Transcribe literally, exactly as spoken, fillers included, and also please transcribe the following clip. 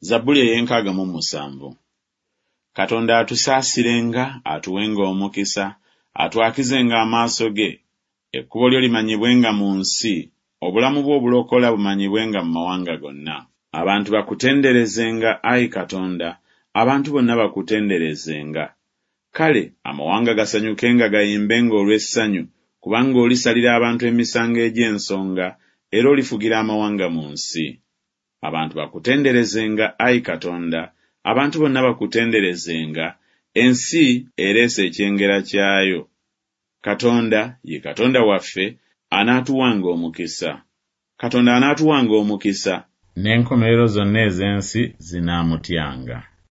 Zabbuli ey'enkaaga mu musanvu. Katonda atusaasirenga, atuwenga omukisa, atwakizenga amaaso ge, ekkubo lyo limanyibwenga mu nsi, obulamu bwo obulokola bumanyibwenga mu mawanga gonna. Abantu bakutenderezenga, ayi Katonda, abantu bonna bakutenderezenga. Kale amawanga gasanyukenga gayimbenga olw'essanyu, kubanga olisalira abantu emisango egy'ensonga, era olifugira amawanga mu nsi. Abantu bakutenderezenga, ayi Katonda, abantu bonna bakutenderezenga, ensi ereese ekyengera kyayo. Katonda ye Katonda waffe, anaatuwanga omukisa. Katonda anaatuwanga omukisa. N'enkomerero zonna ez'ensi zinaamutyanga.